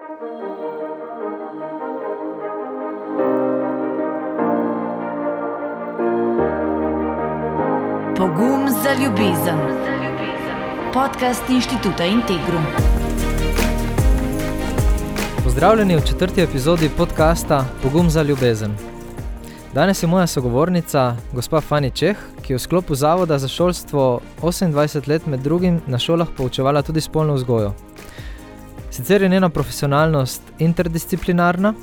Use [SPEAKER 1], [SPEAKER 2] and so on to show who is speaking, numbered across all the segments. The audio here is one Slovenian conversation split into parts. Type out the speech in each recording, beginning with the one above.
[SPEAKER 1] Pogum za ljubezen. Podcast Inštituta Integrum.
[SPEAKER 2] Pozdravljeni v 4. epizodi podcasta Pogum za ljubezen. Danes je moja sogovornica, gospa Fani Čeh, ki je v sklopu Zavoda za šolstvo 28 let med drugim na šolah poučevala tudi spolno vzgojo. Sicer je njena profesionalnost interdisciplinarna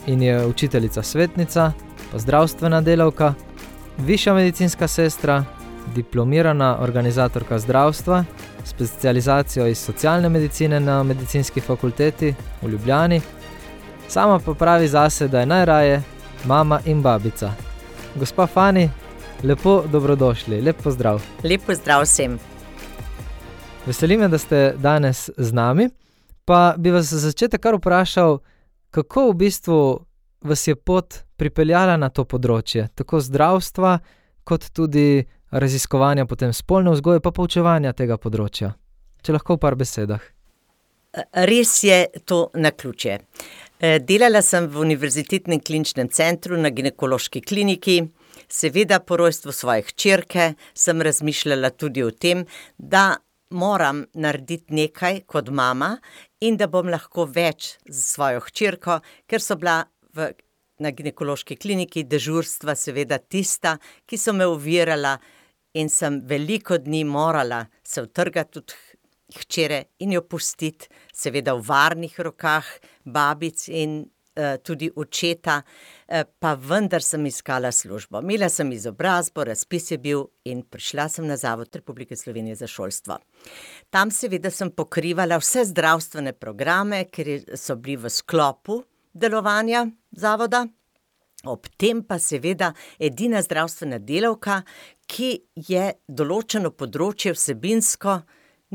[SPEAKER 2] in je učiteljica svetnica, pa zdravstvena delavka, višja medicinska sestra, diplomirana organizatorka zdravstva, specializacijo iz socialne medicine na medicinski fakulteti v Ljubljani. Sama pa pravi zase, da je najraje mama in babica. Gospa Fani, lepo dobrodošli, lep pozdrav.
[SPEAKER 3] Lep pozdrav vsem.
[SPEAKER 2] Veseli me, da ste danes z nami, pa bi vas za začetek kar vprašal, kako v bistvu vas je pot pripeljala na to področje, tako zdravstva, kot tudi raziskovanja potem spolne vzgoje, pa poučevanja tega področja. Če lahko v par besedah.
[SPEAKER 3] Res je to naključje. Delala sem v Univerzitetnem kliničnem centru na ginekološki kliniki. Seveda po rojstvu svoje hčerke sem razmišljala tudi o tem, da moram narediti nekaj kot mama in da bom lahko več z svojo hčerko, ker so bila na ginekološki kliniki dežurstva seveda tista, ki so me ovirala in sem veliko dni morala se utrgati od hčere in jo pustiti seveda v varnih rokah babic in tudi očeta, pa vendar sem iskala službo. Imela sem izobrazbo, razpis je bil in prišla sem na Zavod Republike Slovenije za šolstvo. Tam seveda sem pokrivala vse zdravstvene programe, ker so bili v sklopu delovanja zavoda. Ob tem pa seveda edina zdravstvena delavka, ki je določeno področje vsebinsko,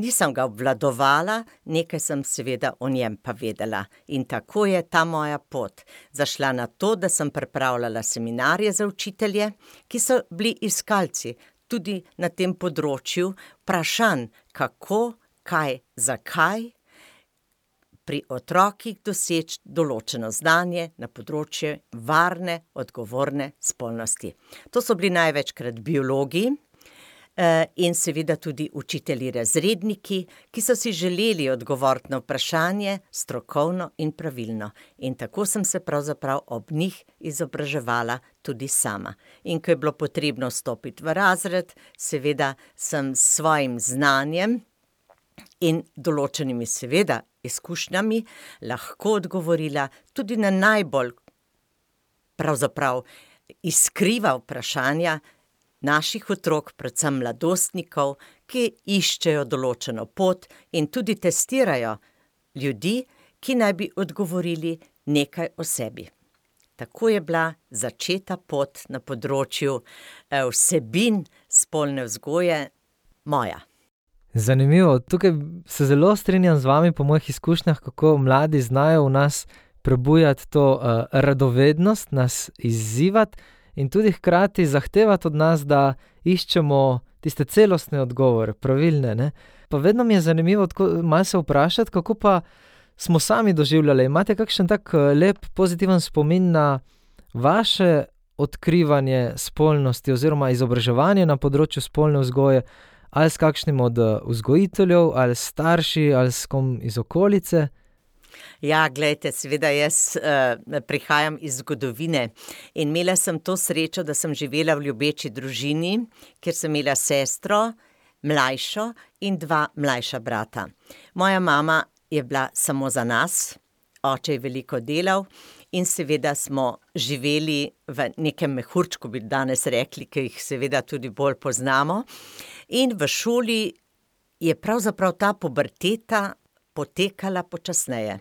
[SPEAKER 3] nisem ga obvladovala, nekaj sem seveda o njem pa vedela. In tako je ta moja pot zašla na to, da sem pripravljala seminarje za učitelje, ki so bili iskalci tudi na tem področju vprašanj, kako, kaj, zakaj, pri otrokih doseči določeno znanje na področju varne, odgovorne spolnosti. To so bili največkrat biologi in seveda tudi učitelji razredniki, ki so si želeli odgovoriti na vprašanje strokovno in pravilno. In tako sem se pravzaprav ob njih izobraževala tudi sama. In ko je bilo potrebno stopiti v razred, seveda sem s svojim znanjem in določenimi seveda izkušnjami lahko odgovorila tudi na najbolj pravzaprav iskriva vprašanja naših otrok, predvsem mladostnikov, ki iščejo določeno pot in tudi testirajo ljudi, ki naj bi odgovorili nekaj o sebi. Tako je bila začeta pot na področju vsebin spolne vzgoje moja.
[SPEAKER 2] Zanimivo, tukaj se zelo strinjam z vami po mojih izkušnjah, kako mladi znajo v nas prebujati to radovednost, nas izzivati in tudi hkrati zahtevati od nas, da iščemo tiste celostne odgovore, pravilne, ne? Pa vedno mi je zanimivo malo se vprašati, kako pa smo sami doživljali. Imate kakšen tak lep, pozitiven spomin na vaše odkrivanje spolnosti oziroma izobraževanje na področju spolne vzgoje, ali s kakšnim od vzgojiteljev, ali s starši, ali s kom iz okolice?
[SPEAKER 3] Ja, glejte, seveda jaz prihajam iz zgodovine in imela sem to srečo, da sem živela v ljubeči družini, kjer sem imela sestro, mlajšo in 2 mlajša brata. Moja mama je bila samo za nas, oče je veliko delal in seveda smo živeli v nekem mehurčku, bi danes rekli, ki jih seveda tudi bolj poznamo. In v šoli je pravzaprav ta puberteta potekala počasneje.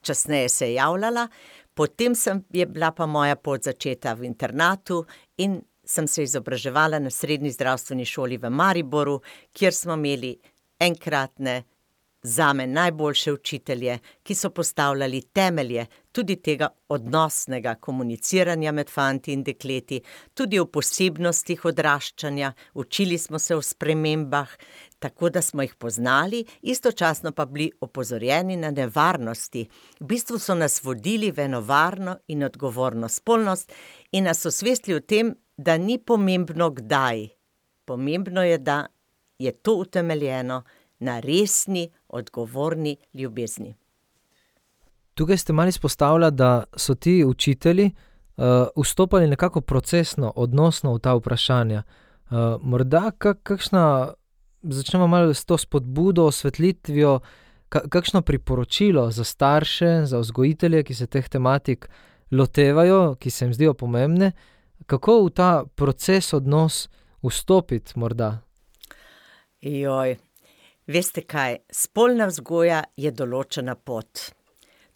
[SPEAKER 3] Časneje se je javljala, potem je bila pa moja pot začeta v internatu in sem se izobraževala na srednji zdravstveni šoli v Mariboru, kjer smo imeli enkratne zame najboljše učitelje, ki so postavljali temelje tudi tega odnosnega komuniciranja med fanti in dekleti, tudi o posebnostih odraščanja, učili smo se o spremembah, tako da smo jih poznali, istočasno pa bili opozorjeni na nevarnosti. V bistvu so nas vodili v eno varno in odgovorno spolnost in nas osvestili o tem, da ni pomembno kdaj. Pomembno je, da je to utemeljeno na resni, odgovorni ljubezni.
[SPEAKER 2] Tukaj ste malo izpostavljali, da so ti učitelji vstopali nekako procesno, odnosno v ta vprašanja. Morda kakšna, začnemo malo s to spodbudo, osvetlitvijo, kakšno priporočilo za starše, za vzgojitelje, ki se teh tematik lotevajo, ki se jim zdijo pomembne, kako v ta proces, odnos vstopiti morda?
[SPEAKER 3] Veste kaj, spolna vzgoja je določena pot.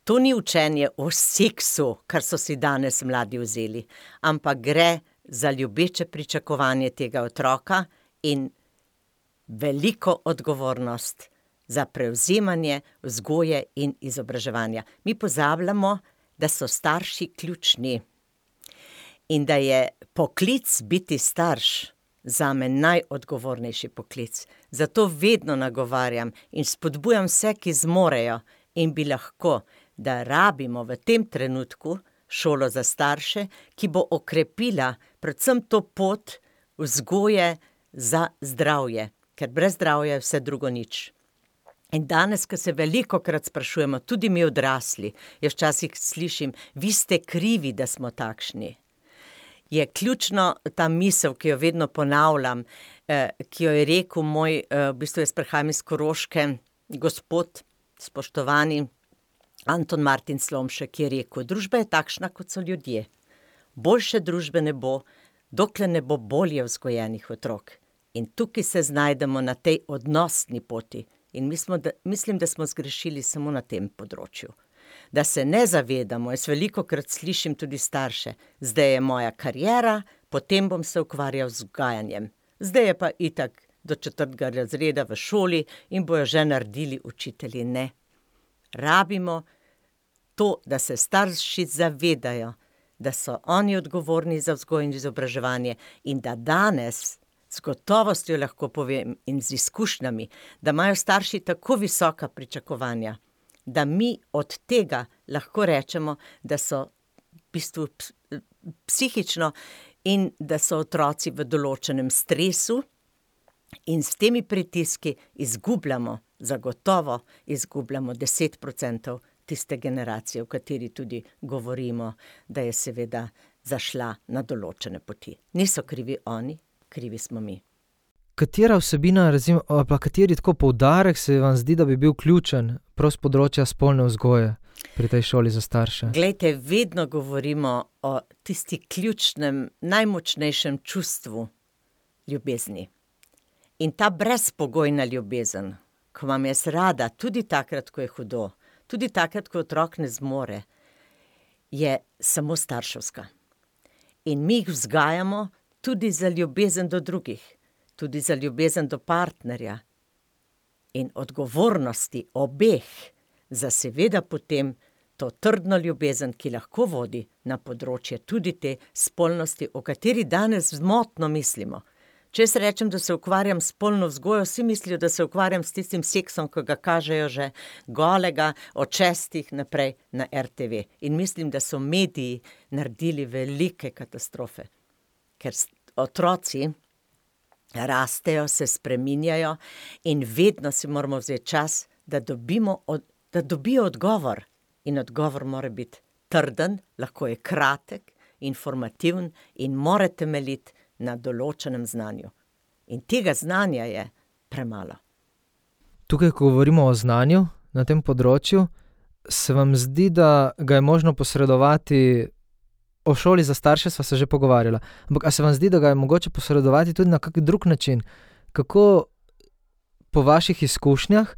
[SPEAKER 3] To ni učenje o seksu, kar so si danes mladi vzeli, ampak gre za ljubeče pričakovanje tega otroka in veliko odgovornost za prevzemanje vzgoje in izobraževanja. Mi pozabljamo, da so starši ključni in da je poklic biti starš zame najodgovornejši poklic. Zato vedno nagovarjam in spodbujam vse, ki zmorejo in bi lahko, da rabimo v tem trenutku šolo za starše, ki bo okrepila predvsem to pot vzgoje za zdravje, ker brez zdravja je vse drugo nič. In danes, ko se velikokrat sprašujemo, tudi mi odrasli, jaz včasih slišim, vi ste krivi, da smo takšni. Je ključno ta misel, ki jo vedno ponavljam, ki jo je rekel moj, v bistvu jaz prihajam iz Koroške, gospod, spoštovani Anton Martin Slomšek, ki je rekel, družba je takšna, kot so ljudje. Boljše družbe ne bo, dokler ne bo bolje vzgojenih otrok. In tukaj se znajdemo na tej odnosni poti. In mislim, da smo zgrešili samo na tem področju. Da se ne zavedamo, jaz velikokrat slišim tudi starše, zdaj je moja kariera, potem bom se ukvarjal z vzgajanjem. Zdaj je pa itak do 4. razreda v šoli in bojo že naredili učitelji. Ne. Rabimo to, da se starši zavedajo, da so oni odgovorni za vzgojo in izobraževanje in da danes z gotovostjo lahko povem in z izkušnjami, da imajo starši tako visoka pričakovanja, da mi od tega lahko rečemo, da so v bistvu psihično in da so otroci v določenem stresu in s temi pritiski zagotovo izgubljamo 10% tiste generacije, v kateri tudi govorimo, da je seveda zašla na določene poti. Niso krivi oni, krivi smo mi.
[SPEAKER 2] Katera vsebina, pa kateri tako poudarek se vam zdi, da bi bil ključen prav z področja spolne vzgoje pri tej šoli za starše?
[SPEAKER 3] Glejte, vedno govorimo o tisti ključnem, najmočnejšem čustvu ljubezni. In ta brezpogojna ljubezen, ko imam jaz rada, tudi takrat, ko je hudo, tudi takrat, ko otrok ne zmore, je samo starševska. In mi jih vzgajamo tudi za ljubezen do drugih, tudi za ljubezen do partnerja in odgovornosti obeh za seveda potem to trdno ljubezen, ki lahko vodi na področje tudi te spolnosti, o kateri danes zmotno mislimo. Če jaz rečem, da se ukvarjam s spolno vzgojo, vsi mislijo, da se ukvarjam s tistim seksom, ko ga kažejo že golega od 6 naprej na RTV. In mislim, da so mediji naredili velike katastrofe, ker otroci rastejo, se spreminjajo in vedno si moramo vzeti čas, da dobijo odgovor. In odgovor mora biti trden, lahko je kratek, informativen in mora temeljiti na določenem znanju. In tega znanja je premalo.
[SPEAKER 2] Tukaj, ko govorimo o znanju na tem področju, se vam zdi, da ga je možno posredovati, o šoli za starše sva se že pogovarjala, ampak a se vam zdi, da ga je mogoče posredovati tudi na kak drug način? Kako po vaših izkušnjah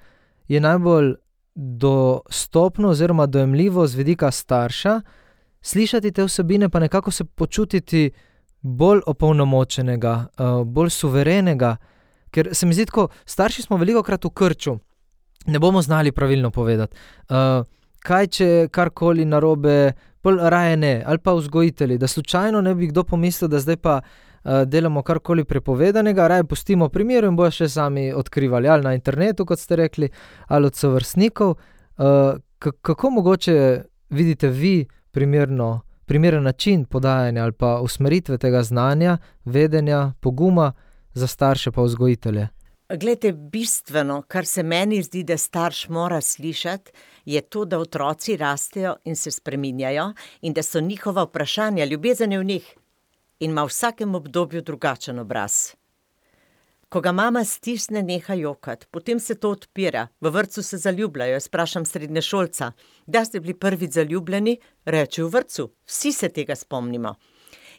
[SPEAKER 2] je najbolj dostopno oziroma dojemljivo z vidika starša slišati te vsebine, pa nekako se počutiti bolj opolnomočenega, bolj suverenega, ker se mi zdi tako, starši smo velikokrat v krču ne bomo znali pravilno povedati. Kaj, če karkoli narobe, pol raje ne, ali pa vzgojitelji, da slučajno ne bi kdo pomislil, da zdaj pa delamo karkoli prepovedanega, raje pustimo primeru in bojo še sami odkrivali, ali na internetu, kot ste rekli, ali od sovrstnikov. Kako mogoče vidite vi primeren način podajanja ali pa usmeritve tega znanja, vedenja, poguma za starše pa vzgojitelje?
[SPEAKER 3] Glejte, bistveno, kar se meni zdi, da starš mora slišati, je to, da otroci rastejo in se spreminjajo in da so njihova vprašanja, ljubezen je v njih in ima v vsakem obdobju drugačen obraz. Ko ga mama stisne, neha jokati, potem se to odpira, v vrtcu se zaljubljajo, sprašam srednješolca, da ste bili prvič zaljubljeni, reče v vrtcu, vsi se tega spomnimo.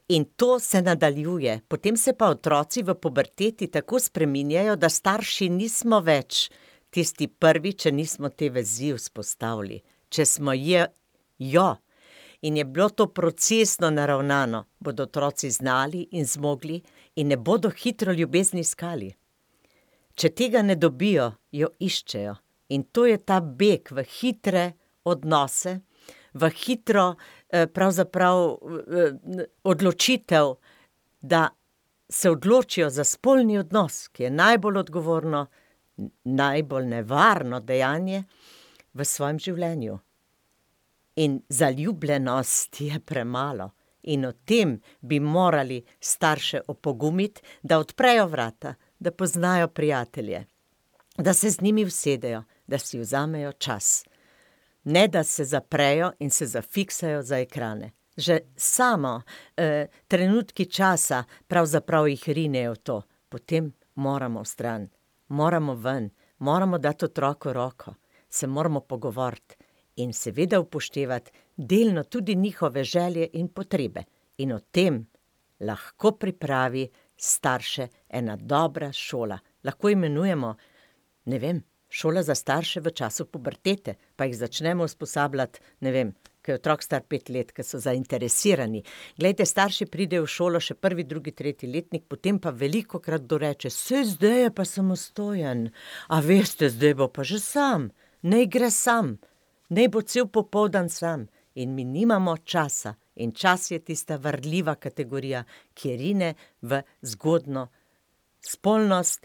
[SPEAKER 3] In to se nadaljuje, potem se pa otroci v puberteti tako spreminjajo, da starši nismo več tisti prvi, če nismo te vezi vzpostavili, če smo jo. In je bilo to procesno naravnano, bodo otroci znali in zmogli in ne bodo hitro ljubezni iskali. Če tega ne dobijo, jo iščejo. In to je ta beg v hitre odnose, v hitro odločitev, da se odločijo za spolni odnos, ki je najbolj odgovorno, najbolj nevarno dejanje v svojem življenju. In zaljubljenost je premalo. In o tem bi morali starše opogumiti, da odprejo vrata, da poznajo prijatelje, da se z njimi usedejo, da si vzamejo čas. Ne, da se zaprejo in se zafiksajo za ekrane. Že samo trenutki časa pravzaprav jih rinejo v to. Potem moramo vstran, moramo ven, moramo dati otroku roko, se moramo pogovoriti in seveda upoštevati delno tudi njihove želje in potrebe. In o tem lahko pripravi starše ena dobra šola. Lahko imenujemo, ne vem, šola za starše v času pubertete, pa jih začnemo usposabljati, ne vem, ko je otrok star 5 let, ko so zainteresirani. Glejte, starši pridejo v šolo še 1., 2., 3. letnik, potem pa velikokrat doreče, zdaj je pa samostojen, a veste, zdaj bo pa že sam, naj gre sam, naj bo cel popoldan sam. In mi nimamo časa. In čas je tista varljiva kategorija, ki rine v zgodno spolnost,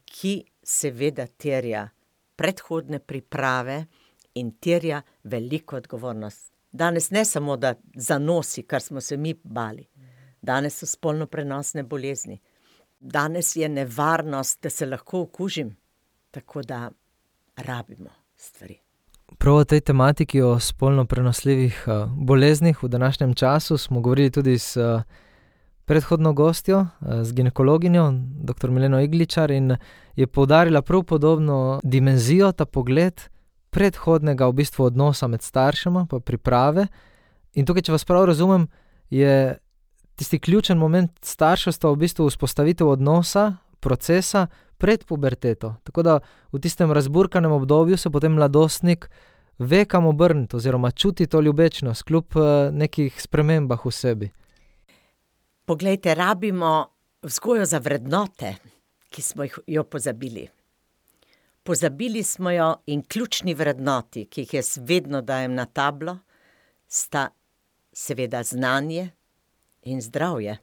[SPEAKER 3] ki seveda terja predhodne priprave in terja veliko odgovornost. Danes ne samo, da zanosi, kar smo se mi bali. Danes so spolno prenosne bolezni. Danes je nevarnost, da se lahko okužim. Tako da rabimo stvari.
[SPEAKER 2] Prav o tej tematiki o spolno prenosljivih boleznih v današnjem času smo govorili tudi s predhodno gostjo, z ginekologinjo, dr. Mileno Igličar, in je poudarila prav podobno dimenzijo, ta pogled predhodnega v bistvu odnosa med staršema, pa priprave. In tukaj, če vas prav razumem, je tisti ključen moment starševstva v bistvu vzpostavitev odnosa, procesa pred puberteto. Tako da v tistem razburkanem obdobju se potem mladostnik ve, kam obrniti oziroma čuti to ljubečnost kljub nekih spremembah v sebi.
[SPEAKER 3] Poglejte, rabimo vzgojo za vrednote, ki smo jo pozabili. Pozabili smo jo in ključni vrednoti, ki jih jaz vedno dajem na tablo, sta seveda znanje in zdravje.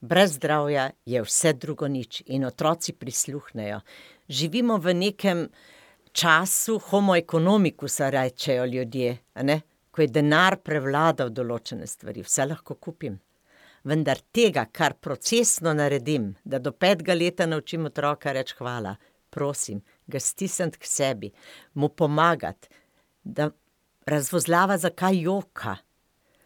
[SPEAKER 3] Brez zdravja je vse drugo nič in otroci prisluhnejo. Živimo v nekem času homo economicusa, rečejo ljudje, ne? Ko je denar prevladal določene stvari, vse lahko kupim. Vendar tega, kar procesno naredim, da do 5. leta naučim otroka reči hvala, prosim, ga stisniti k sebi, mu pomagati, da razvozlava, zakaj joka.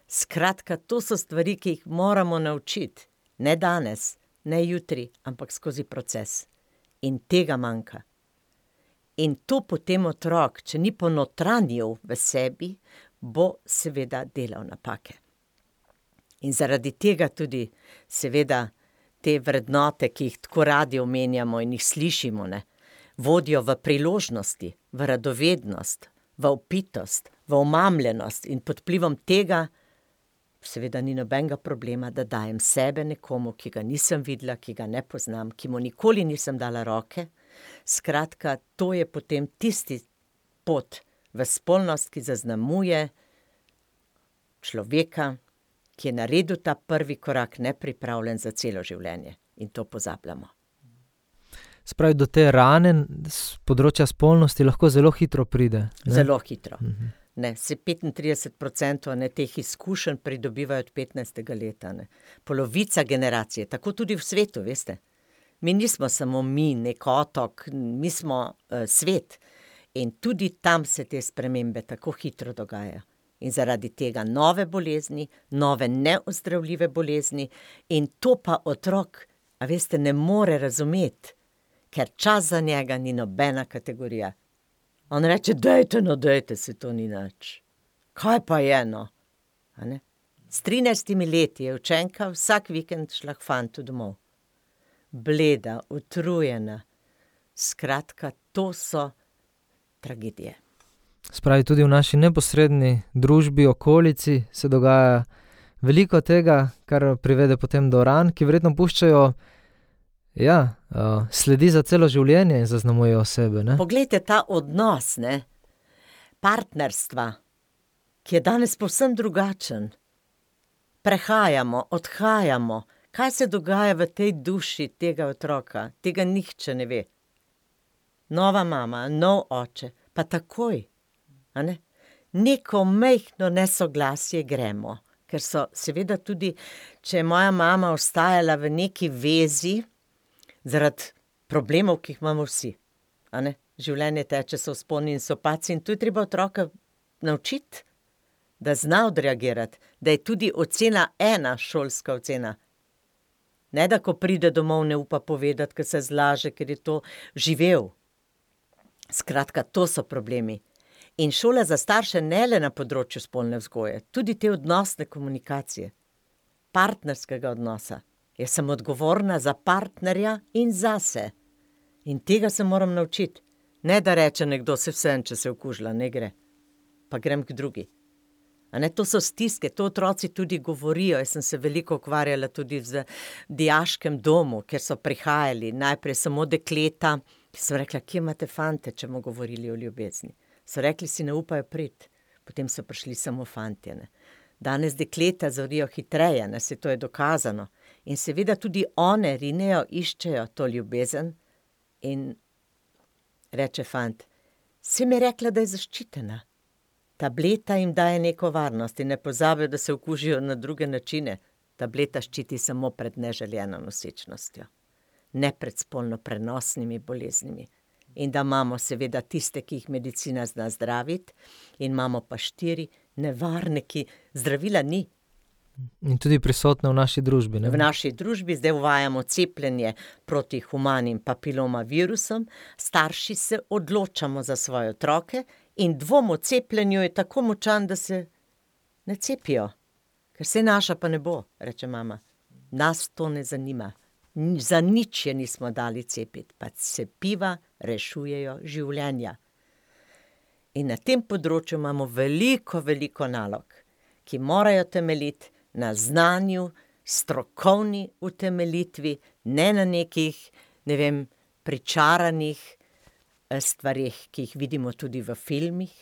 [SPEAKER 3] Skratka, to so stvari, ki jih moramo naučiti. Ne danes, ne jutri, ampak skozi proces. In tega manjka. In to potem otrok, če ni ponotranjil v sebi, bo seveda delal napake. In zaradi tega tudi seveda te vrednote, ki jih tako radi omenjamo in jih slišimo, ne, vodijo v priložnosti, v radovednost, v opitost, v omamljenost in pod vplivom tega seveda ni nobenega problema, da dajem sebe nekomu, ki ga nisem videla, ki ga ne poznam, ki mu nikoli nisem dala roke, Skratka, to je potem tisti pot v spolnost, ki zaznamuje človeka, ki je naredil ta prvi korak nepripravljen za celo življenje. In to pozabljamo.
[SPEAKER 2] Spravi, do te rane z področja spolnosti lahko zelo hitro pride. Ne?
[SPEAKER 3] Zelo hitro. Ne, se 35% teh izkušenj pridobivajo od 15. leta. Ne. Polovica generacije, tako tudi v svetu, veste. Mi nismo samo mi, nek otok, mi smo svet. In tudi tam se te spremembe tako hitro dogajajo. In zaradi tega nove bolezni, nove neozdravljive bolezni, in to pa otrok, a veste, ne more razumeti, ker čas za njega ni nobena kategorija. On reče, dajte, se to ni nič. Kaj pa je, no? A ne? S 13 leti je učenka vsak vikend šla k fantu domov. Bleda, utrujena. Skratka, to so tragedije.
[SPEAKER 2] Spravi, tudi v naši neposredni družbi, okolici se dogaja veliko tega, kar privede potem do ran, ki verjetno puščajo sledi za celo življenje in zaznamujejo sebe. Ne?
[SPEAKER 3] Poglejte ta odnos, ne? Partnerstva, ki je danes povsem drugačen. Prehajamo, odhajamo. Kaj se dogaja v tej duši tega otroka? Tega nihče ne ve. Nova mama, nov oče, pa takoj. A ne? Neko majhno nesoglasje gremo, ker so seveda tudi, če je moja mama ostajala v neki vezi, zaradi problemov, ki jih imamo vsi. A ne? Življenje teče, so vzponi in so padci, in tu je treba otroka naučiti, da zna odreagirati, da je tudi ocena 1 šolska ocena. Ne, da ko pride domov, ne upa povedati, ker se zlaže, ker je to živel. Skratka, to so problemi. In šola za starše ne le na področju spolne vzgoje, tudi te odnosne komunikacije, partnerskega odnosa. Jaz sem odgovorna za partnerja in zase. In tega se moram naučiti. Ne, da reče nekdo, se vsem, če se okužila, ne gre. Pa grem k drugi. A ne, to so stiske, to otroci tudi govorijo. Jaz sem se veliko ukvarjala tudi v dijaškem domu, kjer so prihajali najprej samo dekleta, ki so rekla, kje imate fante, če bomo govorili o ljubezni. So rekli, si ne upajo priti. Potem so prišli samo fantje. Ne. Danes dekleta zorijo hitreje, ne, se to je dokazano. In seveda tudi one rinejo, iščejo to ljubezen in reče fant, si mi rekla, da je zaščitena. Tableta jim daje neko varnost in ne pozabijo, da se okužijo na druge načine. Tableta ščiti samo pred neželjeno nosečnostjo, ne pred spolno prenosnimi boleznimi. In da imamo seveda tiste, ki jih medicina zna zdraviti, in imamo pa 4 nevarne, ki zdravila ni.
[SPEAKER 2] In tudi prisotne v naši družbi. Ne?
[SPEAKER 3] V naši družbi zdaj uvajamo cepljenje proti humanim papiloma virusom, starši se odločamo za svoje otroke in dvom o cepljenju je tako močan, da se ne cepijo. Ker se naša pa ne bo, reče mama. Nas to ne zanima. Za nič je nismo dali cepiti, pa cepiva rešujejo življenja. In na tem področju imamo veliko nalog, ki morajo temeljiti na znanju, strokovni utemeljitvi, ne na nekih, pričaranih stvarih, ki jih vidimo tudi v filmih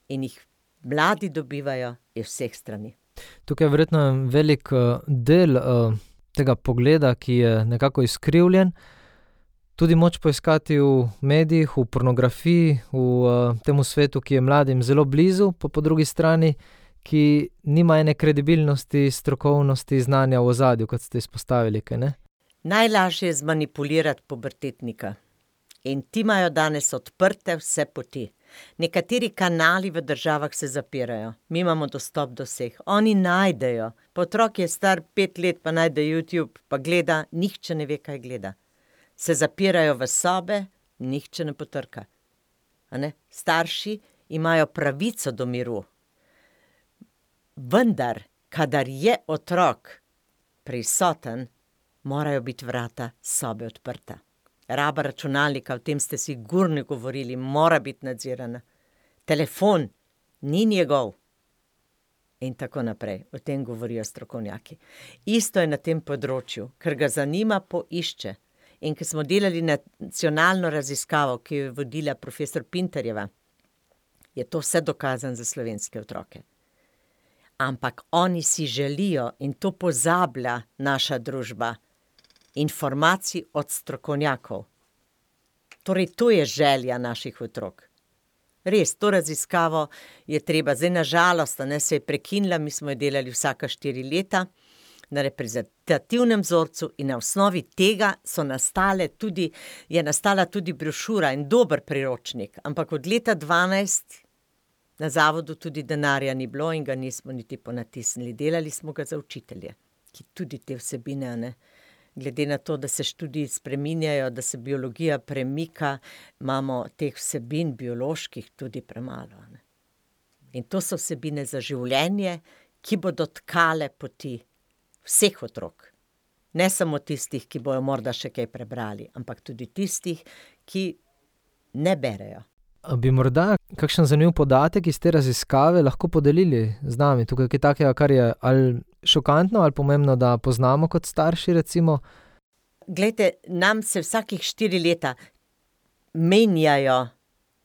[SPEAKER 3] in jih mladi dobivajo iz vseh strani.
[SPEAKER 2] Tukaj je verjetno velik del tega pogleda, ki je nekako izkrivljen, tudi moč poiskati v medijih, v pornografiji, v temu svetu, ki je mladim zelo blizu, pa po drugi strani, ki nima ene kredibilnosti, strokovnosti, znanja v ozadju, kot ste izpostavili, kaj ne?
[SPEAKER 3] Najlažje je zmanipulirati pubertetnika. In ti imajo danes odprte vse poti. Nekateri kanali v državah se zapirajo. Mi imamo dostop do vseh. Oni najdejo. Pa otrok je star 5 let, pa najde YouTube, pa gleda, nihče ne ve, kaj gleda. Se zapirajo v sobe, nihče ne potrka. A ne? Starši imajo pravico do miru. Vendar, kadar je otrok prisoten, morajo biti vrata sobe odprta. Raba računalnika, o tem ste sigurno govorili, mora biti nadzirana. Telefon ni njegov. In tako naprej. O tem govorijo strokovnjaki. Isto je na tem področju, ker ga zanima, poišče. In ko smo delali nacionalno raziskavo, ki jo je vodila profesor Pintarjeva, je to vse dokazano za slovenske otroke. Ampak oni si želijo, in to pozablja naša družba, informacij od strokovnjakov. Torej, to je želja naših otrok. Res, to raziskavo je treba. Zdaj, na žalost, se je prekinila, mi smo jo delali vsaka 4 leta na reprezentativnem vzorcu in na osnovi tega je nastala tudi brošura in dober priročnik. Ampak od leta 12 na zavodu tudi denarja ni bilo in ga nismo niti ponatisnili. Delali smo ga za učitelje, ki tudi te vsebine, glede na to, da se študiji spreminjajo, da se biologija premika, imamo teh vsebin bioloških tudi premalo. In to so vsebine za življenje, ki bodo tkale poti vseh otrok. Ne samo tistih, ki bojo morda še kaj prebrali, ampak tudi tistih, ki ne berejo.
[SPEAKER 2] Bi morda kakšen zanimiv podatek iz te raziskave lahko podelili z nami? Tukaj je takega, kar je ali šokantno ali pomembno, da poznamo kot starši, recimo?
[SPEAKER 3] Glejte, nam se vsakih 4 leta menjajo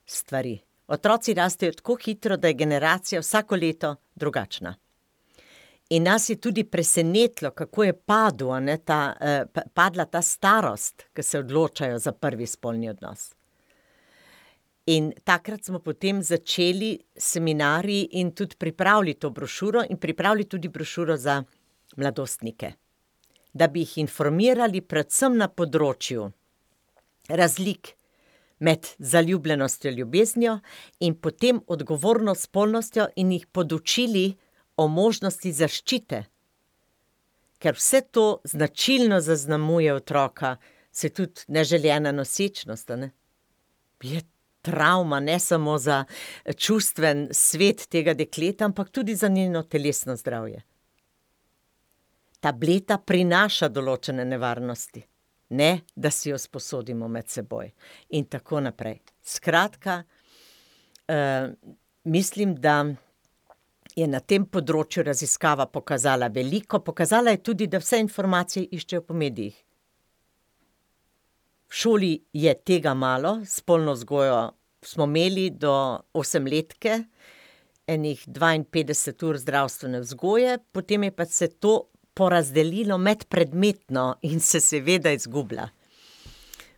[SPEAKER 3] stvari. Otroci rastejo tako hitro, da je generacija vsako leto drugačna. In nas je tudi presenetilo, kako je padla ta starost, ko se odločajo za prvi spolni odnos. In takrat smo potem začeli seminarji in tudi pripravili to brošuro in pripravili tudi brošuro za mladostnike, da bi jih informirali predvsem na področju razlik med zaljubljenostjo, ljubeznijo in potem odgovorno spolnostjo in jih podučili o možnosti zaščite. Ker vse to značilno zaznamuje otroka, se tudi neželjena nosečnost, je travma, ne samo za čustven svet tega dekleta, ampak tudi za njeno telesno zdravje. Tableta prinaša določene nevarnosti, ne da si jo sposodimo med seboj in tako naprej. Skratka, mislim, da je na tem področju raziskava pokazala veliko, pokazala je tudi, da vse informacije iščejo po medijih. V šoli je tega malo, spolno vzgojo smo imeli do 8-letke, enih 52 ur zdravstvene vzgoje, potem je pa se to porazdelilo medpredmetno in se seveda izgublja.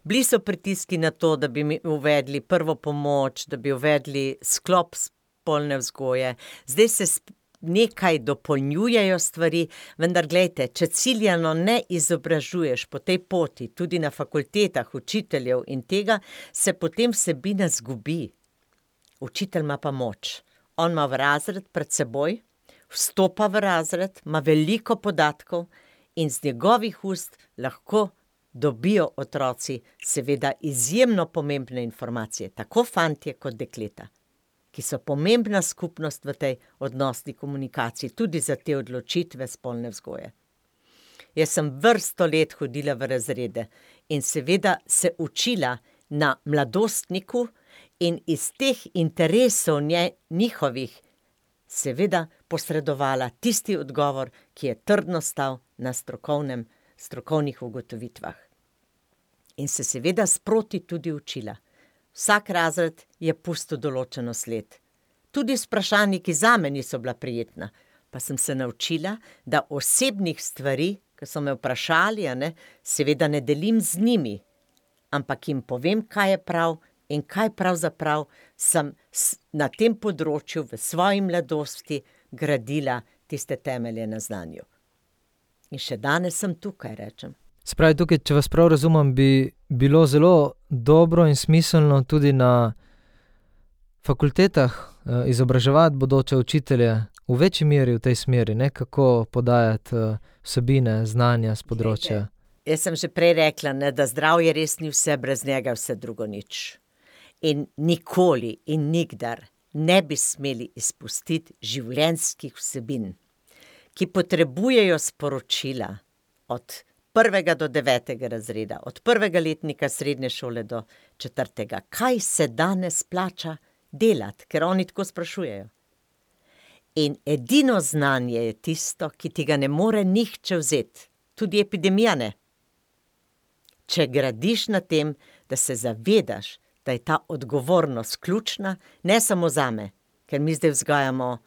[SPEAKER 3] Bili so pritiski na to, da bi uvedli prvo pomoč, da bi uvedli sklop spolne vzgoje. Zdaj se nekaj dopolnjujejo stvari, vendar glejte, če ciljano ne izobražuješ po tej poti, tudi na fakultetah učiteljev in tega, se potem vsebina zgubi. Učitelj ima pa moč. On ima v razred pred seboj, vstopa v razred, ima veliko podatkov in z njegovih ust lahko dobijo otroci seveda izjemno pomembne informacije, tako fantje kot dekleta, ki so pomembna skupnost v tej odnosni komunikaciji, tudi za te odločitve spolne vzgoje. Jaz sem vrsto let hodila v razrede in seveda se učila na mladostniku in iz teh interesov njihovih seveda posredovala tisti odgovor, ki je trdno stal na strokovnih ugotovitvah. In se seveda sproti tudi učila. Vsak razred je pustil določeno sled. Tudi z vprašanji, ki zame niso bila prijetna, pa sem se naučila, da osebnih stvari, ki so me vprašali, seveda ne delim z njimi, ampak jim povem, kaj je prav in kaj pravzaprav sem na tem področju v svoji mladosti gradila tiste temelje na znanju. In še danes sem tukaj, rečem.
[SPEAKER 2] Spravi, tukaj, če vas prav razumem, bi bilo zelo dobro in smiselno tudi na fakultetah izobraževati bodoče učitelje v večji meri v tej smeri, kako podajati vsebine, znanja s področja.
[SPEAKER 3] Jaz sem že prej rekla, da zdravje res ni vse, brez njega vse drugo nič. In nikoli in nikdar ne bi smeli izpustiti življenjskih vsebin, ki potrebujejo sporočila od 1. do 9. razreda, od 1. letnika srednje šole do 4. Kaj se danes plača delati, ker oni tako sprašujejo. In edino znanje je tisto, ki ti ga ne more nihče vzeti, tudi epidemija ne. če gradiš na tem, da se zavedaš, da je ta odgovornost ključna, ne samo zame, ker mi zdaj vzgajamo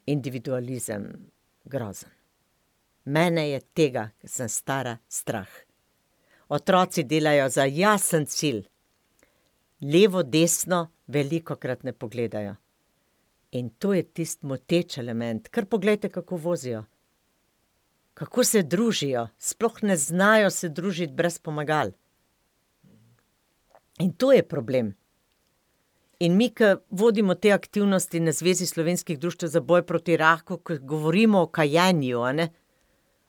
[SPEAKER 3] individualizem grozen. Mene je tega, ker sem stara, strah. Otroci delajo za jasen cilj. Levo, desno velikokrat ne pogledajo. In to je tisti moteč element. Kar poglejte, kako vozijo. Kako se družijo. Sploh ne znajo se družiti brez pomagal. In to je problem. In mi, ki vodimo te aktivnosti na Zvezi slovenskih društev za boj proti raku, ko govorimo o kajenju,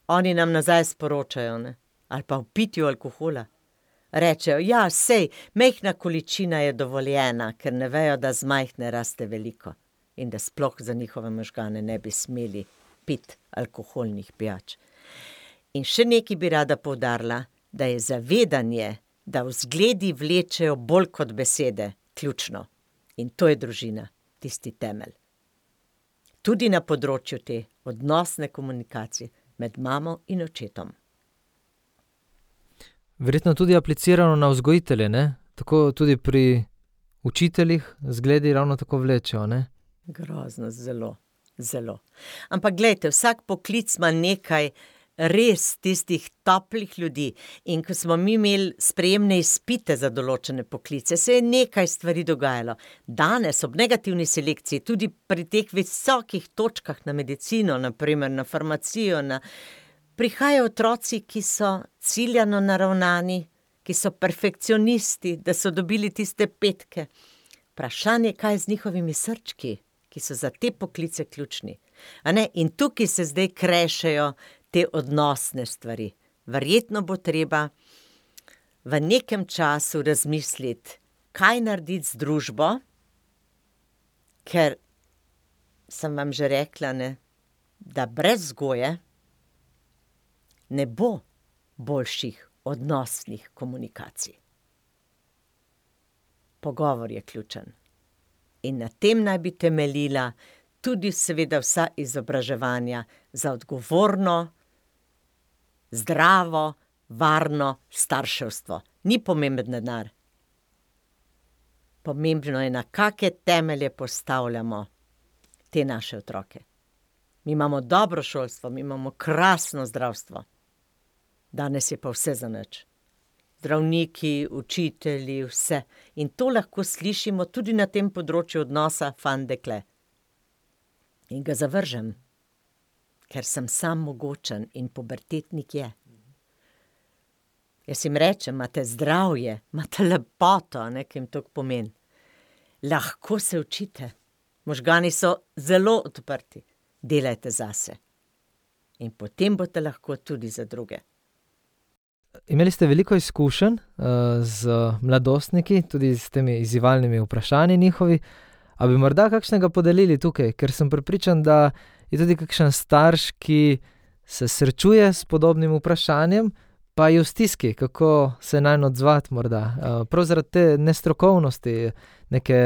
[SPEAKER 3] oni nam nazaj sporočajo, ali pa o pitju alkohola. Rečejo, ja, sej, majhna količina je dovoljena, ker ne vejo, da z majhne raste veliko in da sploh za njihove možgane ne bi smeli piti alkoholnih pijač. In še nekaj bi rada poudarila, da je zavedanje, da vzgledi vlečejo bolj kot besede, ključno. In to je družina, tisti temelj. Tudi na področju te odnosne komunikacije med mamo in očetom.
[SPEAKER 2] Verjetno tudi aplicirano na vzgojitelje, ne? Tako tudi pri učiteljih zgledi ravno tako vlečejo, ne?
[SPEAKER 3] Grozno, zelo, zelo. Ampak glejte, vsak poklic ima nekaj res tistih toplih ljudi. In ko smo mi imeli sprejemne izpite za določene poklice, se je nekaj stvari dogajalo. Danes ob negativni selekciji, tudi pri teh visokih točkah na medicino, naprimer na farmacijo, prihajajo otroci, ki so ciljano naravnani, ki so perfekcionisti, da so dobili tiste petke. Vprašanje, kaj je z njihovimi srčki, ki so za te poklice ključni. In tukaj se zdaj krešejo te odnosne stvari. Verjetno bo treba v nekem času razmisliti, kaj narediti z družbo, ker sem vam že rekla, da brez vzgoje ne bo boljših odnosnih komunikacij. Pogovor je ključen. In na tem naj bi temeljila tudi seveda vsa izobraževanja za odgovorno, zdravo, varno starševstvo. Ni pomemben denar. Pomembno je, na kake temelje postavljamo te naše otroke. Mi imamo dobro šolstvo, mi imamo krasno zdravstvo. Danes je pa vse zanič. Zdravniki, učitelji, vse. In to lahko slišimo tudi na tem področju odnosa fant-dekle. In ga zavržem, ker sem sam mogočen in pubertetnik je. Jaz jim rečem, imate zdravje, imate lepoto, ki jim to pomeni. Lahko se učite. Možgani so zelo odprti. Delajte zase. In potem boste lahko tudi za druge.
[SPEAKER 2] Imeli ste veliko izkušenj z mladostniki, tudi s temi izzivalnimi vprašanji njihovi. A bi morda kakšnega podelili tukaj? Ker sem prepričan, da je tudi kakšen starš, ki se srečuje s podobnim vprašanjem, pa je v stiski, kako se nanj odzvati morda. Prav zaradi te nestrokovnosti, neke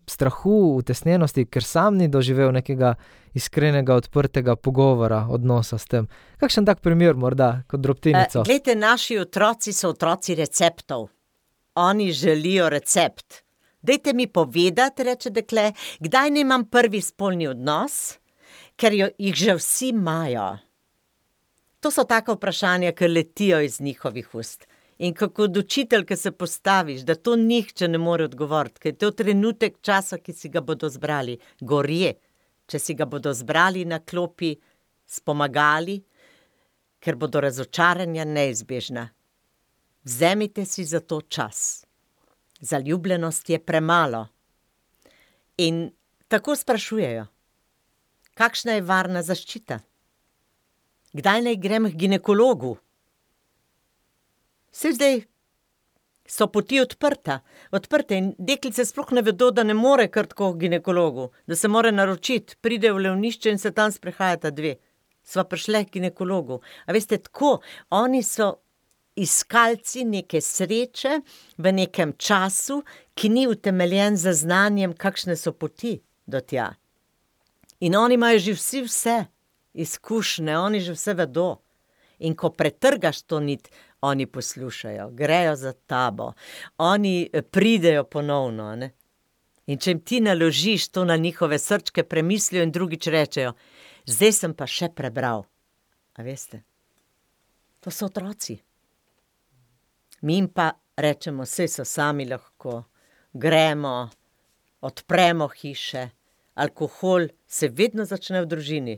[SPEAKER 2] strahu, utesnjenosti, ker sam ni doživel nekega iskrenega, odprtega pogovora, odnosa s tem. Kakšen tak primer morda, kot drobtinico?
[SPEAKER 3] Glejte, naši otroci so otroci receptov. Oni želijo recept. Dajte mi povedati, reče dekle, kdaj nimam prvi spolni odnos, ker jih že vsi imajo. To so taka vprašanja, ki letijo iz njihovih ust. In kako od učitelj, ki se postaviš, da to nihče ne more odgovoriti, ker je to trenutek časa, ki si ga bodo zbrali, gorje, če si ga bodo zbrali na klopi s pomagali, ker bodo razočaranja neizbežna. Vzemite si za to čas. Zaljubljenost je premalo. In tako sprašujejo, kakšna je varna zaščita? Kdaj naj grem k ginekologu? Saj zdaj so poti odprte in deklice sploh ne vedo, da ne more kar tako k ginekologu, da se mora naročiti, pride v Levnišče in se tam sprehajata dve. Sva prišle k ginekologu. A veste, tako, oni so iskalci neke sreče v nekem času, ki ni utemeljen za znanjem, kakšne so poti do tja. In oni imajo že vse izkušnje, oni že vse vedo. In ko pretrgaš to nit, oni poslušajo, grejo za tabo, oni pridejo ponovno, ne. In če jim ti naložiš to na njihove srčke, premislijo in drugič rečejo: zdaj sem pa še prebral. A veste? To so otroci. Mi jim pa rečemo, saj so sami lahko, gremo, odpremo hiše, alkohol se vedno začne v družini.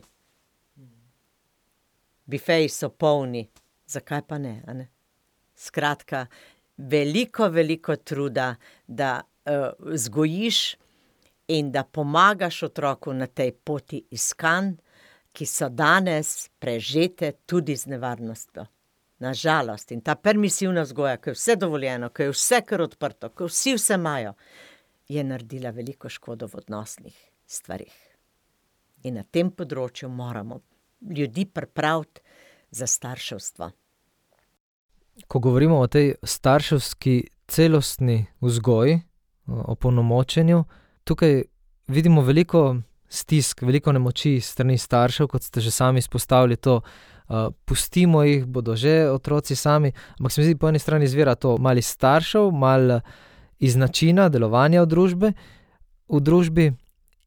[SPEAKER 3] Bifeji so polni, zakaj pa ne, a ne? Skratka, veliko truda, da vzgojiš in da pomagaš otroku na tej poti iskanj, ki so danes prežete tudi z nevarnostjo. Na žalost. In ta permisivna vzgoja, ko je vse dovoljeno, ko je vse kar odprto, ko vsi vse imajo, je naredila veliko škodo v odnosnih stvarih. In na tem področju moramo ljudi pripraviti za starševstvo.
[SPEAKER 2] Ko govorimo o tej starševski celostni vzgoji, o polnomočenju, tukaj vidimo veliko stisk, veliko nemoči s strani staršev, kot ste že sami izpostavili to, pustimo jih, bodo že otroci sami, ampak se mi zdi, po eni strani izvira to malo iz staršev, malo iz načina delovanja v družbi,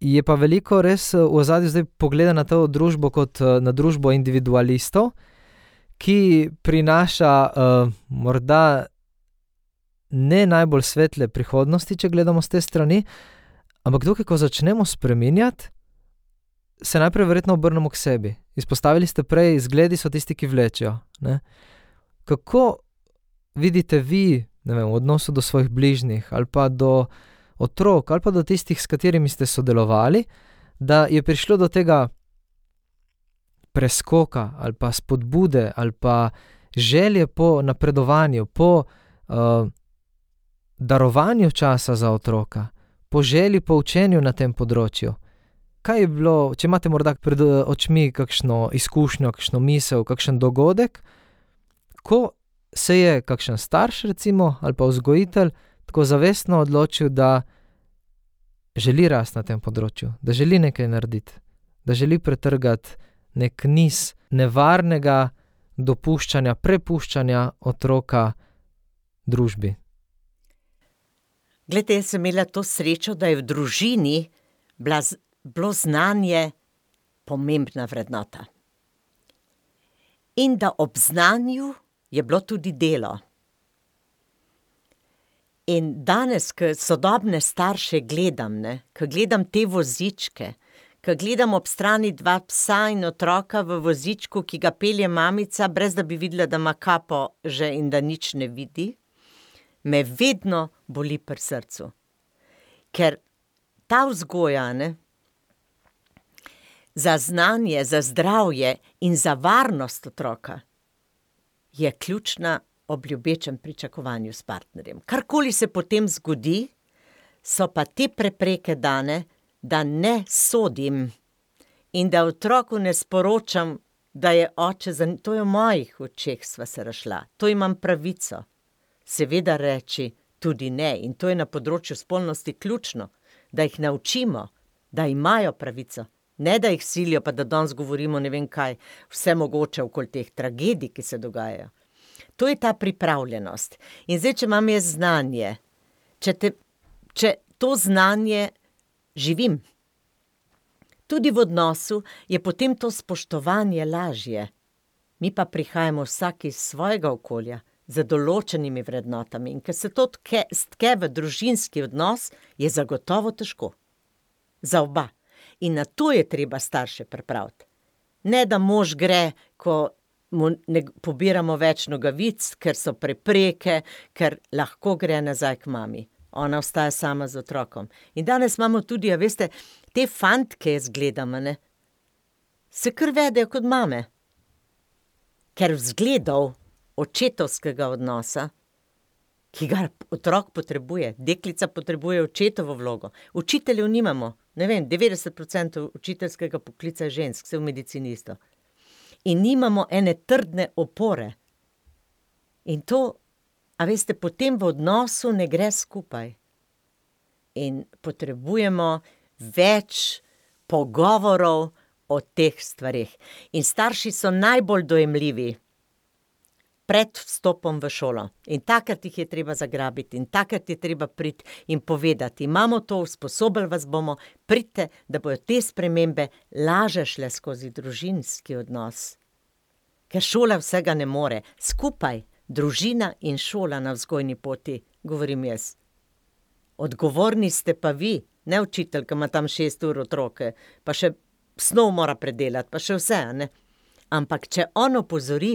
[SPEAKER 2] je pa veliko res v ozadju zdaj pogleda na to družbo kot na družbo individualistov, ki prinaša morda ne najbolj svetle prihodnosti, če gledamo z te strani, ampak tukaj, ko začnemo spreminjati, se najprej verjetno obrnemo k sebi. Izpostavili ste prej, zgledi so tisti, ki vlečejo, ne. Kako vidite vi, ne vem, v odnosu do svojih bližnjih, ali pa do otrok, ali pa do tistih, s katerimi ste sodelovali, da je prišlo do tega preskoka, ali pa spodbude, ali pa želje po napredovanju, po darovanju časa za otroka, po želji po učenju na tem področju. Kaj je bilo, če imate morda pred očmi kakšno izkušnjo, kakšno misel, kakšen dogodek, ko se je kakšen starš recimo, ali pa vzgojitelj tako zavestno odločil, da želi rasti na tem področju, da želi nekaj narediti, da želi pretrgati nek niz nevarnega dopuščanja, prepuščanja otroka družbi.
[SPEAKER 3] Glejte, jaz sem imela to srečo, da je v družini bilo znanje pomembna vrednota. In da ob znanju je bilo tudi delo. In danes, ko sodobne starše gledam, ko gledam te vozičke, ko gledam ob strani 2 psa in otroka v vozičku, ki ga pelje mamica, brez da bi videla, da ima kapo že in da nič ne vidi, me vedno boli pri srcu. Ker ta vzgoja, za znanje, za zdravje in za varnost otroka je ključna ob ljubečem pričakovanju s partnerjem. Karkoli se potem zgodi, so pa te prepreke dane, da ne sodim in da otroku ne sporočam, da je oče, to je v mojih očeh sva se razšla, to imam pravico. Seveda reči tudi ne, in to je na področju spolnosti ključno, da jih naučimo, da imajo pravico, ne da jih silijo, pa da danes govorimo ne vem kaj, vse mogoče okoli teh tragedij, ki se dogajajo. To je ta pripravljenost. In zdaj, če imam jaz znanje, če to znanje živim, tudi v odnosu, je potem to spoštovanje lažje. Mi pa prihajamo vsak iz svojega okolja, z določenimi vrednotami. In ker se to stke v družinski odnos, je zagotovo težko. Za oba. In na to je treba starše pripraviti. Ne, da mož gre, ko mu ne pobiramo več nogavic, ker so prepreke, ker lahko gre nazaj k mami. Ona ostaja sama z otrokom. In danes imamo tudi, veste, te fantke jaz gledam, se kar vedejo kot mame. Ker vzgledov očetovskega odnosa, ki ga otrok potrebuje, deklica potrebuje očetovo vlogo. Učiteljev nimamo, ne vem, 90% učiteljskega poklica je žensk, vse v medicini isto. In nimamo ene trdne opore. In to, veste, potem v odnosu ne gre skupaj. In potrebujemo več pogovorov o teh stvareh. In starši so najbolj dojemljivi pred vstopom v šolo. In takrat jih je treba zagrabiti in takrat je treba priti in povedati, imamo to, usposobili vas bomo, pridite, da bojo te spremembe laže šle skozi družinski odnos. Ker šola vsega ne more. Skupaj, družina in šola na vzgojni poti, govorim jaz. Odgovorni ste pa vi, ne učitelj, ki ima tam 6 ur otroke, pa še snov mora predelati, pa še vse, ne? Ampak če on opozori,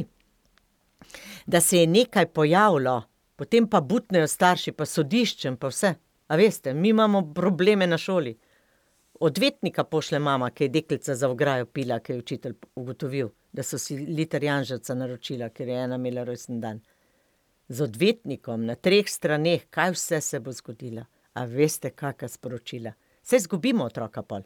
[SPEAKER 3] da se je nekaj pojavilo, potem pa butnejo starši, pa sodiščem, pa vse. A veste, mi imamo probleme na šoli. Odvetnika pošle mama, ki je deklica za ograjo pila, ki je učitelj ugotovil, da so si liter janževca naročila, ker je ena imela rojstni dan. Z odvetnikom na 3 straneh, kaj vse se bo zgodilo. A veste, kakšna sporočila? Saj izgubimo otroka pol.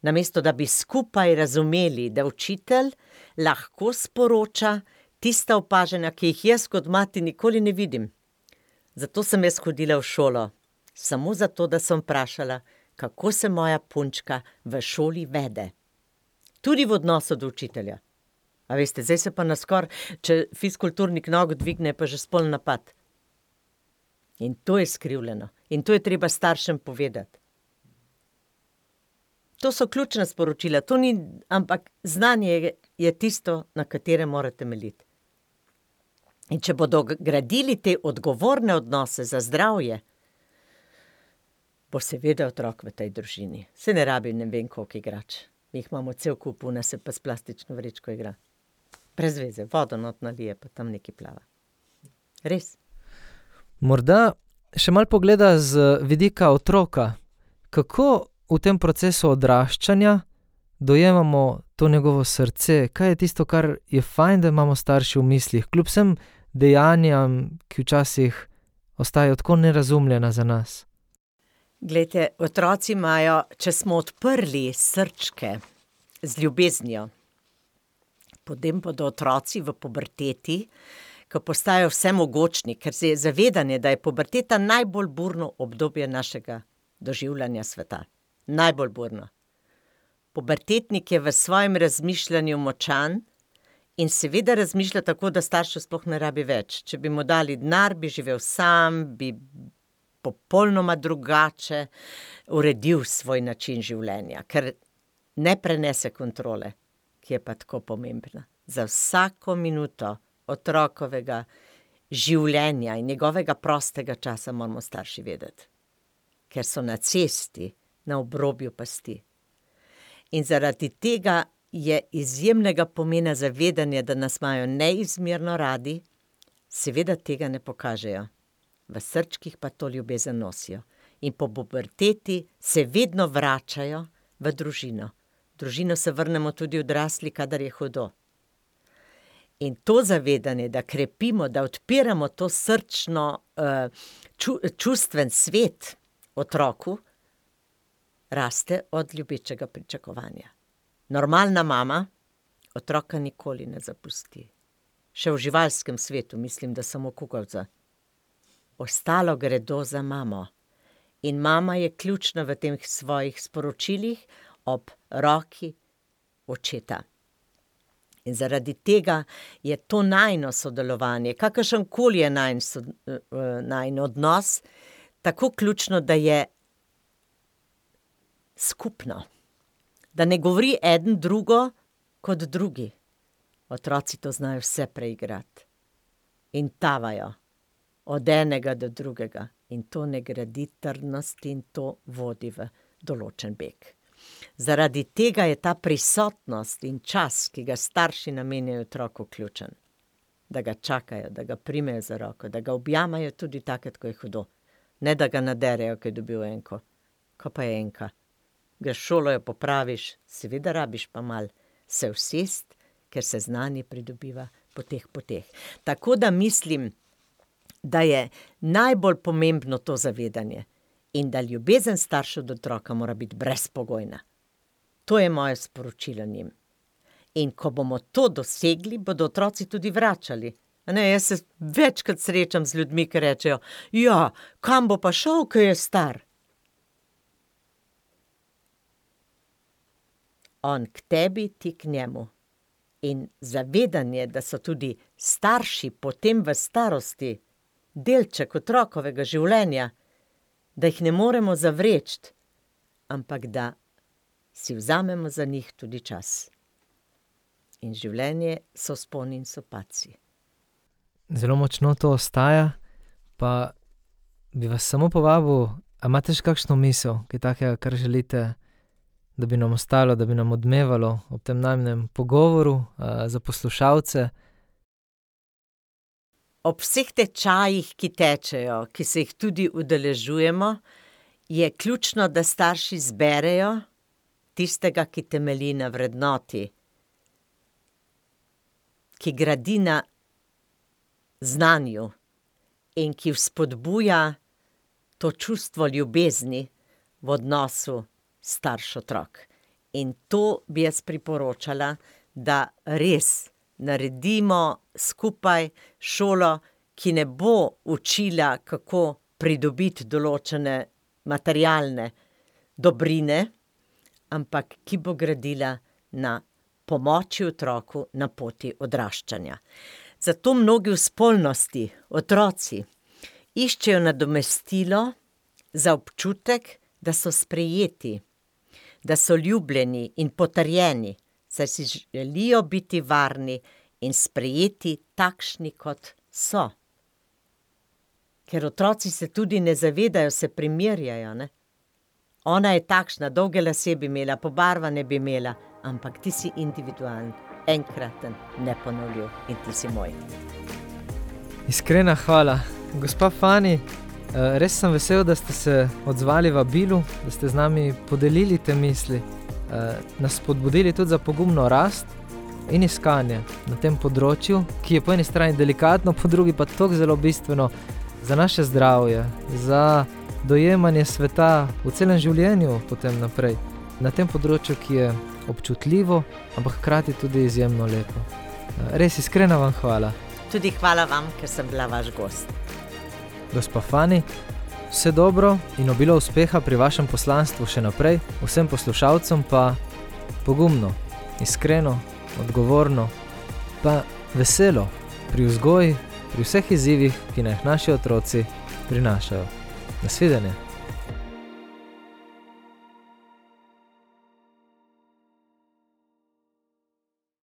[SPEAKER 3] Namesto, da bi skupaj razumeli, da učitelj lahko sporoča tista opažanja, ki jih jaz kot mati nikoli ne vidim. Zato sem jaz hodila v šolo. Samo zato, da sem vprašala, kako se moja punčka v šoli vede. Tudi v odnosu do učitelja. A veste, zdaj se pa naskor, če fizkulturnik nogo dvigne, pa že spolni napad. In to je skrivljeno. In to je treba staršem povedati. To so ključna sporočila. To ni, ampak znanje je tisto, na katerem morate temeljiti. In če bodo gradili te odgovorne odnose za zdravje, bo seveda otrok v tej družini. Se ne rabi ne vem koliko igrač. Mi jih imamo cel kup, una se pa s plastično vrečko igra. Brez veze, vodo not nalije, pa tam nekaj plava. Res.
[SPEAKER 2] Morda še malo pogleda z vidika otroka. Kako v tem procesu odraščanja dojemamo to njegovo srce? Kaj je tisto, kar je fajn, da imamo starši v mislih, kljub vsem dejanjem, ki včasih ostajajo tako nerazumljena za nas?
[SPEAKER 3] Glejte, otroci imajo, če smo odprli srčke z ljubeznijo, potem bodo otroci v puberteti, ko postajajo vsemogočni, ker se je zavedanje, da je puberteta najbolj burno obdobje našega doživljanja sveta. Najbolj burno. Pubertetnik je v svojem razmišljanju močan in seveda razmišlja tako, da staršev sploh ne rabi več. Če bi mu dali denar, bi živel sam, bi popolnoma drugače uredil svoj način življenja, ker ne prenese kontrole, ki je pa tako pomembna. Za vsako minuto otrokovega življenja in njegovega prostega časa moramo starši vedeti. Ker so na cesti, na obrobju pasti. In zaradi tega je izjemnega pomena zavedanje, da nas imajo neizmerno radi, seveda tega ne pokažejo. V srčkih pa to ljubezen nosijo. In po puberteti se vedno vračajo v družino. V družino se vrnemo tudi odrasli, kadar je hudo. In to zavedanje, da krepimo, da odpiramo to srčno, čustven svet otroku, raste od ljubečega pričakovanja. Normalna mama otroka nikoli ne zapusti. Še v živalskem svetu, mislim, da samo kukavca. Ostalo gredo za mamo. In mama je ključna v teh svojih sporočilih ob roki očeta. In zaradi tega je to najino sodelovanje, kakršenkoli je najin odnos, tako ključno, da je skupno. Da ne govori eden drugo kot drugi. Otroci to znajo vse preigrati. In tavajo od enega do drugega. In to ne gradi trdnosti in to vodi v določen beg. Zaradi tega je ta prisotnost in čas, ki ga starši namenjajo otroku, ključen. Da ga čakajo, da ga primejo za roko, da ga objamajo tudi takrat, ko je hudo. Ne da ga naderejo, ko je dobil enko. Ko pa je enka. Greš v šolo, jo popraviš, seveda rabiš pa mal se usest, ker se znanje pridobiva po teh poteh. Tako da mislim, da je najbolj pomembno to zavedanje in da ljubezen staršev do otroka mora biti brezpogojna. To je moje sporočilo njim. In ko bomo to dosegli, bodo otroci tudi vračali. Ne, jaz se večkrat srečam z ljudmi, ki rečejo, ja, kam bo pa šel, ko je star? On k tebi, ti k njemu. In zavedanje, da so tudi starši potem v starosti delček otrokovega življenja, da jih ne moremo zavreči, ampak da si vzamemo za njih tudi čas. In življenje so vzponi in so padci.
[SPEAKER 2] Zelo močno to ostaja, pa bi vas samo povabil, a imate še kakšno misel, kaj takega, kar želite, da bi nam ostalo, da bi nam odmevalo ob tem najinem pogovoru za poslušalce?
[SPEAKER 3] Ob vseh tečajih, ki tečejo, ki se jih tudi udeležujemo, je ključno, da starši zberejo tistega, ki temelji na vrednoti, ki gradi na znanju in ki vzpodbuja to čustvo ljubezni v odnosu starš-otrok. In to bi jaz priporočala, da res naredimo skupaj šolo, ki ne bo učila, kako pridobiti določene materialne dobrine, ampak ki bo gradila na pomoči otroku na poti odraščanja. Zato mnogi v spolnosti, otroci, iščejo nadomestilo za občutek, da so sprejeti, da so ljubljeni in potrjeni, saj si želijo biti varni in sprejeti takšni, kot so. Ker otroci se tudi ne zavedajo, se primerjajo, ne? Ona je takšna, dolge lase bi imela, pobarvane bi imela, ampak ti si individualen, enkraten, neponovljiv in ti si moj.
[SPEAKER 2] Iskrena hvala. Gospa Fani, res sem vesel, da ste se odzvali vabilu, da ste z nami podelili te misli, nas spodbudili tudi za pogumno rast in iskanje na tem področju, ki je po eni strani delikatno, po drugi pa tako zelo bistveno za naše zdravje, za dojemanje sveta v celem življenju potem naprej. Na tem področju, ki je občutljivo, ampak hkrati tudi izjemno lepo. Res iskrena vam hvala.
[SPEAKER 3] Tudi hvala vam, ker sem bila vaš gost.
[SPEAKER 2] Gospa Fani, vse dobro in obilo uspeha pri vašem poslanstvu še naprej, vsem poslušalcem pa pogumno, iskreno, odgovorno, pa veselo pri vzgoji, pri vseh izzivih, ki naj naši otroci prinašajo. Nasvidenje.